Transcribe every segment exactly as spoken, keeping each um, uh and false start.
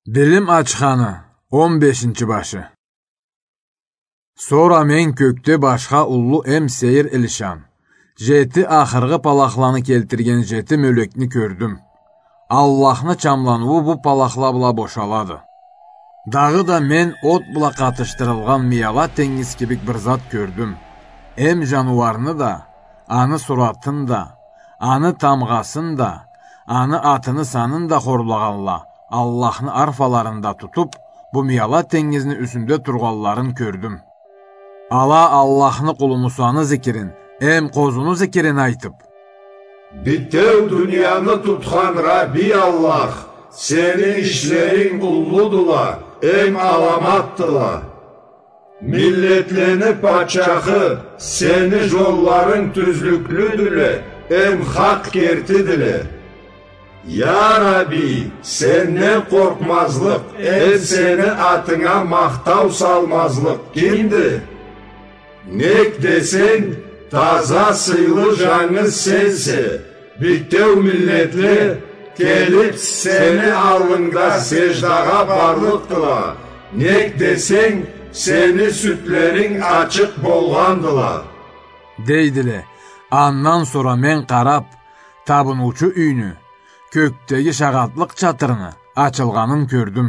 Билим ачханы, он бешинчи башы. Сора мен кёкде башха уллу эм сейир илишан, жети ахыргъы палахланы келтирген жети мёлекни кёрдюм. Аллахны чамланыуу бу палахла бла бошалады. Дагъыда мен от бла къатышдырылгъан мияла тенгиз кибик бир зат кёрдюм. Эм жаныуарны да, аны суратын да, аны тамгъасын да, аны атыны санын да хорлагъанла, Аллахны арфаларын да тутуп, бу мияла тенгизни юсюнде тургъанларын кёрдюм. Ала Аллахны къулу Мусаны зикирин эм къозуну зикирин айтып: «Битеу дунияны тутхан Рабби Аллах, сени ишлеринг уллудула эм аламатдыла. Миллетлени патчахы, сени жолларынг тюзлюклюдюле эм хакъ кертидиле. Я Рабби, сенден къоркъмазлыкъ эм сени атынга махтау салмазлыкъ кимди? Нек десенг, таза, сыйлы, жангыз сенсе. Битеу миллетле келип сени аллынгда сеждагъа барлыкъдыла. Нек десенг, сени сюдлеринг ачыкъ болгъандыла», — дейдиле. Андан сора мен къарап, табыныучу юйню, кёкдеги шагъатлыкъ чатырны ачылгъанын кёрдюм.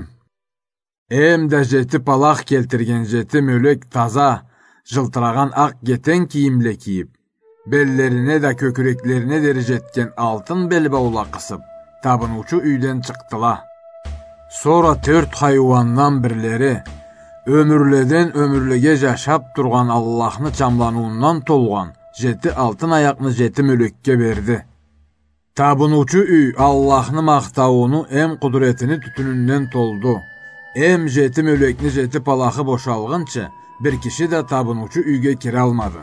Эм да жети палах келтирген жети мёлек таза, жылтырагъан акъ кетен кийимле кийип, беллерине да кёкюреклерине дери жетген алтын белбаула къысып, табыныучу юйден чыкъдыла. Сора тёрт хайыуандан бирлери, ёмюрледен ёмюрлеге жашап тургъан Аллахны чамланыуундан толгъан жети алтын аякъны жети мёлекге берди. Табыныучу юй Аллахны махтаууну эм къудуретини тютюнюнден толду. Эм жети мёлекни жети палахы бошалгъынчы, бир киши да табыныучу юйге киралмады.